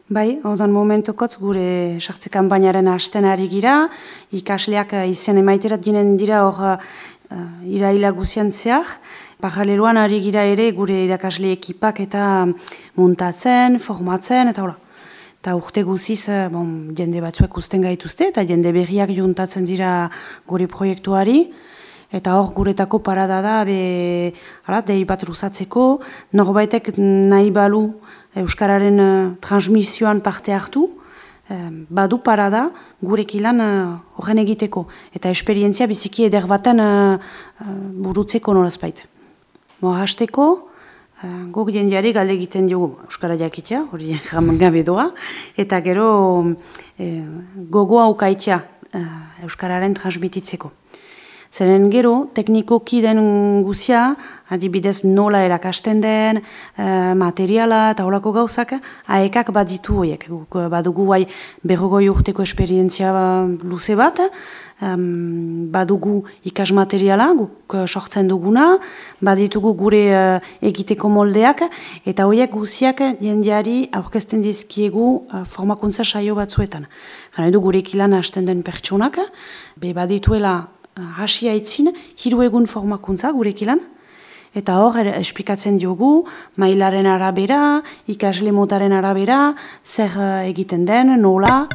Bai, ordan momentokotz gure sartze kanpainaren hasten ari gira, ikasleak izen emaiterat ginen dira hor iraila guzian zehar. Paraleloan ari gira ere gure irakasle ekipak eta muntatzen, formatzen, eta hola. Eta urte guziz, jende batzuek usten gaituzte, eta jende berriak juntatzen dira gure proiektuari. Eta hor guretako parada da, dei bat luzatzeko, norbaitek nahi balu Euskararen transmisioan parte hartu, badu parada gurekilan horren egiteko. Eta esperientzia biziki eder baten burutzeko norazpait. Hasteko, guk jendeari galde egiten diogu Euskara jakitea, hori gabe doa, eta gero gogoa ukaitea Euskararen transmititzeko. Zeren gero, teknikoki den guzia, adibidez nola erakasten den, materiala eta holako gauzak, aekak baditu horiek. Badugu bai berrogoi urteko esperientzia luze bat, badugu ikasmateriala, guk sortzen duguna, baditugu gure egiteko moldeak, eta horiek guziak jendeari aurkezten dizkiegu formakuntza saio batzuetan. Gana edu gurekilan hasten den pertsonak, badituela hasi aitzin, 3 egun formakuntza gurekilan, eta hor esplikatzen diogu, mailaren arabera, ikasle motaren arabera, zer egiten den, nola,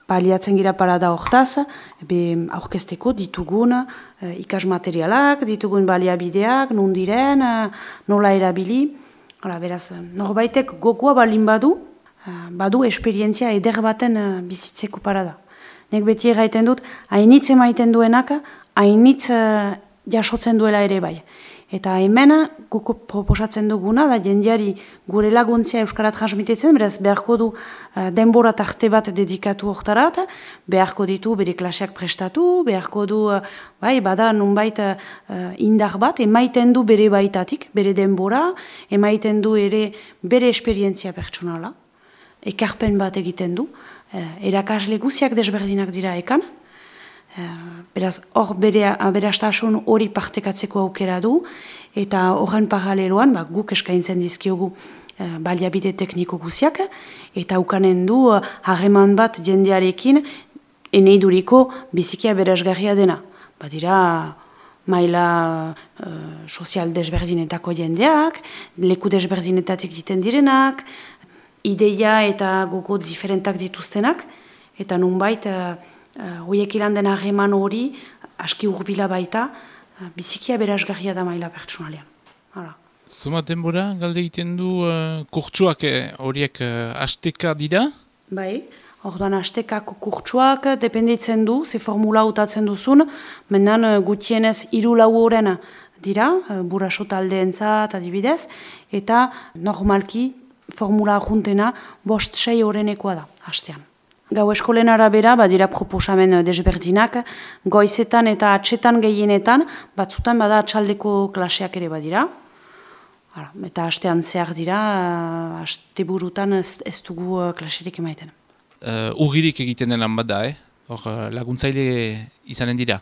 baliatzen gira parada hortaz, aurkezteko ditugun ikasmaterialak, ditugun baliabideak, nondiren, nola erabili. Beraz, norbaitek gogoa balin badu esperientzia eder baten bizitzeko parada. Nek beti erraiten dut, hainitz emaiten duenak, hainitz jasotzen duela ere bai. Eta hemen guk proposatzen duguna, da jendeari gure laguntzia Euskara transmititzen, beraz beharko du denbora tarte bat dedikatu hortarat, beharko ditu bere klaseak prestatu, beharko du, bada nunbait indar bat, emaiten du bere baitatik, bere denbora, emaiten du ere bere esperientzia pertsonala, ekarpen bat egiten du, erakasle guziak desberdinak dira ekan, beraz, hor aberastasun hori partekatzeko aukera du, eta horren paraleloan guk eskaintzen dizkiogu baliabide tekniko guziak, eta ukanen du harreman bat jendearekin eneiduriko bizikia berazgarria dena. Badira maila sozial desberdinetako jendeak, leku desberdinetatik diten direnak, ideia eta gogo diferentak dituztenak, eta nunbait horiek ilan den harreman hori aski urbila baita, bizikia berazgarria da maila pertsonalean. Zuma denbora, galde egiten du kurtsuak horiek hasteka dira? Bai, orduan hastekako kurtsuak dependitzen du, ze formula utatzen duzun, mendan gutienez 3-4 horren dira, buraso taldeentzat adibidez, eta normalki formula juntena 5-6 horrenekoa da, hastean. Gau eskolen arabera, badira proposamen desberdinak, goizetan eta atsetan gehienetan, batzutan bada atxaldeko klaseak ere badira. Eta hastean zehar dira, hasteburutan ez dugu klaserik emaiten. Urgirik egiten den lan bat da, hor laguntzaile izanen dira?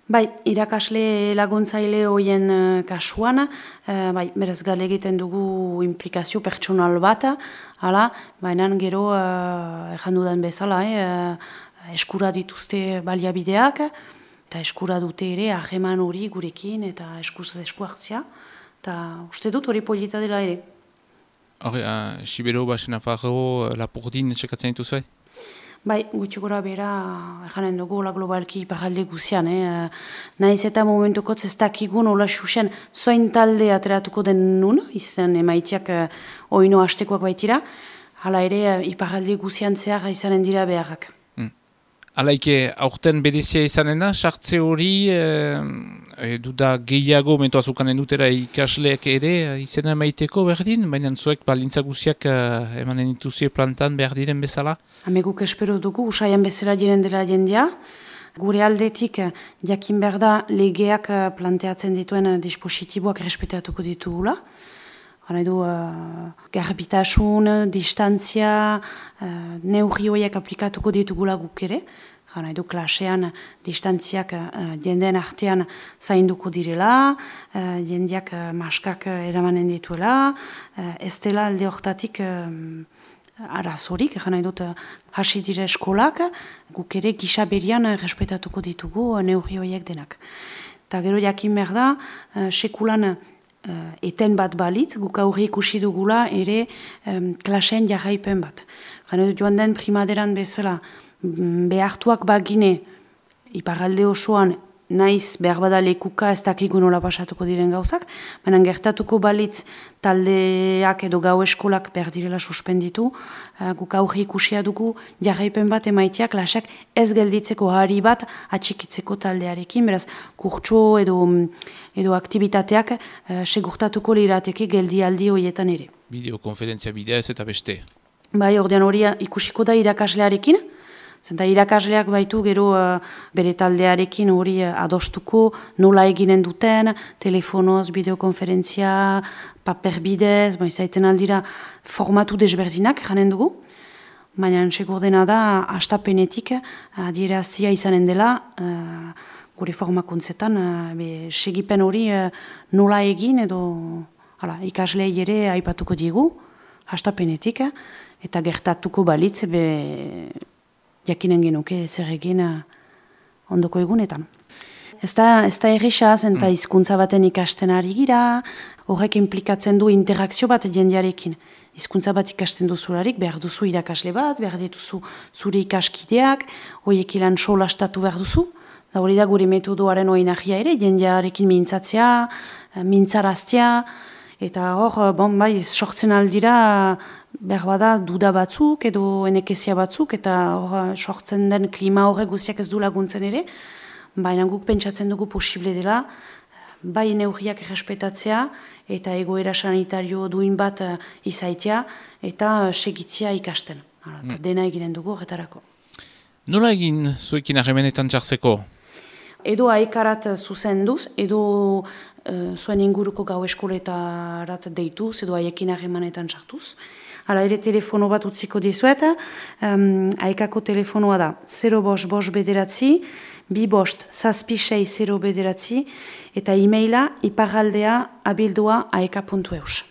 Bai, irakasle laguntzaile hoien kasuan, beraz gale egiten dugu implikazio pertsonal bat, baina gero ezan dudan bezala, eskura dituzte baliabideak, eta eskura dute ere harreman hori gurekin eta esku hartzea, eta uste dut hori polita dela ere. Hori, Sibero, Basen-Nafarro, Lapurdin txekatzen dituzue? Bai, gutxi gora bera, janen dugu, globalki iparalde guzian, nahiz eta momentukotz ez dakigun, hola xuxen, zoin talde ateratuko den nun, izan emaitiak oino hastekoak baitira, hala ere, iparalde guzian zehar izanen dira beharrak. Alaike, aurten bedezia izanen da, sartze hori, duda gehiago mentoazukanen dutera ikasleak ere, izena maiteko berdin, baina zuek balintza guziak emanen dituzie plantan behar diren bezala? Hameguk espero dugu, usaian bezala diren dela jendea. Gure aldetik, jakin behar da, legeak planteatzen dituen dispositiboak respetatuko ditugula. Garbitasun, distantzia, neurri horiek aplikatuko ditugula guk ere. Klasean distantziak jendeen artean zainduko direla, jendeak maskak eramanen dituela, ez dela alde hortatik arazorik, egan nahi dut hasi dire eskolak, guk ere gisa berian respetatuko ditugu neurri horiek denak. Eta gero jakin behar da, sekulan eten bat balitz, guk aurre ikusi dugula ere klaseen jarraipen bat. Egan dut joan den primaderan bezala, behartuak bagine, iparralde osoan, naiz behar bada lekuka ez dakigu nola pasatuko diren gauzak, baina gertatuko balitz taldeak edo gau eskolak behar direla suspenditu, guk aurre ikusia dugu jarraipen bat emaiteak klaseak ez gelditzeko hari bat atxikitzeko taldearekin, beraz kurtso edo aktibitateak segurtatuko lirateke geldialdi horietan ere. Bideokonferentzia bidea ez eta beste. Bai, ordean hori ikusiko da irakaslearekin, zenta irakasleak baitu gero bere taldearekin hori adostuko nola eginen duten, telefonoz, bideokonferentzia, paper bidez, izaiten aldira formatu desberdinak janen dugu, baina segur dena da hastapenetik adierazia izanen dela gure formakuntzetan segipen hori nola egin edo ikaslei ere aipatuko digu hastapenetik eta gertatuko balitz jakinen genuke zer egin ondoko egunetan. Ez da erresa, zenta hizkuntza baten ikasten ari gira, horrek implikatzen du interakzio bat jendearekin. Hizkuntza bat ikasten duzularik, behar duzu irakasle bat, behar dituzu zure ikaskideak, horiek ilan solastatu behar duzu. Da hori da gure metodoaren oinahia ere, jendearekin mintzatzea, mintzaraztea, eta hor, sortzen aldira, behar bada duda batzuk edo enekezia batzuk, eta hor sortzen den klima horrek guztiak ez du laguntzen ere, baina guk pentsatzen dugu posible dela, bai neurriak errespetatzea, eta egoera sanitario duin bat izaitea, eta segitzea ikasten. Dena eginen dugu horretarako. Nola egin zuekin harremanetan txartzeko? Edo aekarat zuzenduz, edo zuen inguruko gau eskoletarat deituz, edo aiekin harremanetan txartuz. Hala ere telefono bat utziko dizuet, aekako telefonoa da 0-5-5-bederatzi, 2-5-6-0-bederatzi, eta e-maila iparraldea@aeka.eus.